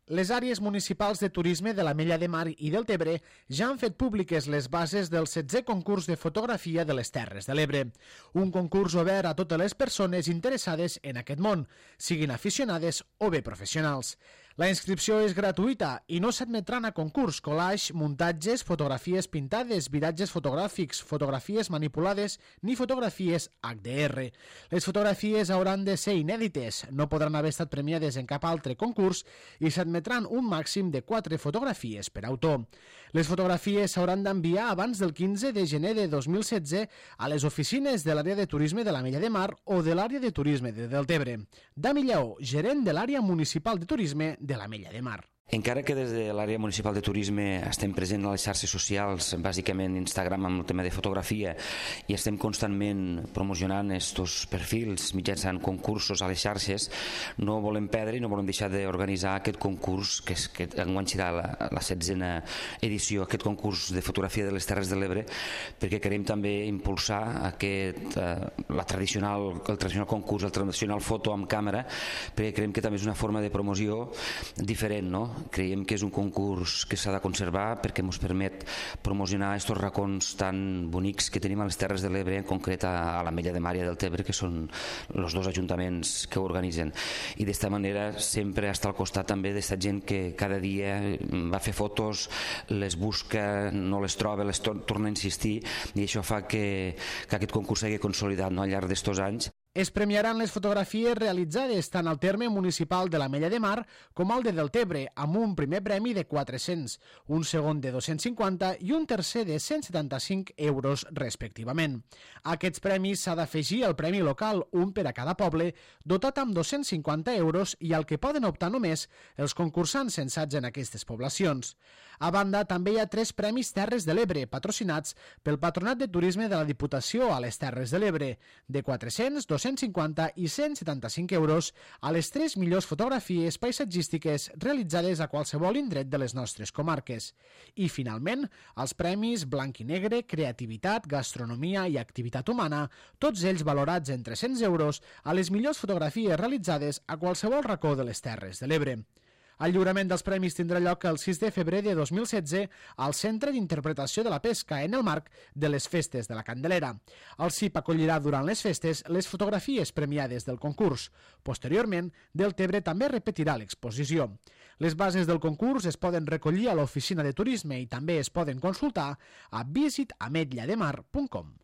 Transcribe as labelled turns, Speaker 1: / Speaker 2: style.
Speaker 1: Les àrees municipals de turisme de l'Ametlla de Mar i del Tebre ja han fet públiques les bases del 16è concurs de fotografia de les Terres de l'Ebre. Un concurs obert a totes les persones interessades en aquest món, siguin aficionades o bé professionals. La inscripció és gratuïta i no s'admetran a concurs, collage, muntatges, fotografies pintades, viratges fotogràfics, fotografies manipulades ni fotografies HDR. Les fotografies hauran de ser inèdites, no podran haver estat premiades en cap altre concurs i s'admetran un màxim de 4 fotografies per autor. Les fotografies s'hauran d'enviar abans del 15 de gener de 2016 a les oficines de l'àrea de turisme de l'Ametlla de Mar o de l'àrea de turisme de Deltebre. Dami Lleó, gerent de l'àrea municipal de turisme de l'Ametlla de Mar.
Speaker 2: Encara que des de l'àrea municipal de turisme estem presents a les xarxes socials, bàsicament Instagram amb el tema de fotografia, i estem constantment promocionant estos perfils mitjançant concursos a les xarxes, no volem perdre i no volem deixar d'organitzar aquest concurs, que enguany serà la 16a edició, aquest concurs de fotografia de les Terres de l'Ebre, perquè querem també impulsar el tradicional concurs, el tradicional foto amb càmera, perquè creiem que també és una forma de promoció diferent, no? Creiem que és un concurs que s'ha de conservar perquè ens permet promocionar aquests racons tan bonics que tenim a les Terres de l'Ebre, en concret a l'Ametlla de Mar i a Deltebre, que són els dos ajuntaments que ho organitzen. I d'esta manera sempre està al costat també d'esta gent que cada dia va fer fotos, les busca, no les troba, les torna a insistir, i això fa que aquest concurs s'hagi consolidat, no, al llarg d'estos anys.
Speaker 1: Es premiaran les fotografies realitzades tant al terme municipal de l'Ametlla de Mar com al de Deltebre, amb un primer premi de 400, un segon de 250 i un tercer de 175 euros respectivament. A aquests premis s'ha d'afegir el premi local, un per a cada poble, dotat amb 250 euros i al que poden optar només els concursants censats en aquestes poblacions. A banda, també hi ha 3 premis Terres de l'Ebre, patrocinats pel Patronat de Turisme de la Diputació a les Terres de l'Ebre, de 400, 250 i 175 euros a les 3 millors fotografies paisatgístiques realitzades a qualsevol indret de les nostres comarques. I, finalment, els premis Blanc i Negre, Creativitat, Gastronomia i Activitat Humana, tots ells valorats en 300 euros a les millors fotografies realitzades a qualsevol racó de les Terres de l'Ebre. El lliurament dels premis tindrà lloc el 6 de febrer de 2016 al Centre d'Interpretació de la Pesca en el marc de les Festes de la Candelera. El CIP acollirà durant les festes les fotografies premiades del concurs. Posteriorment, Deltebre també repetirà l'exposició. Les bases del concurs es poden recollir a l'oficina de turisme i també es poden consultar a visitametllademar.com.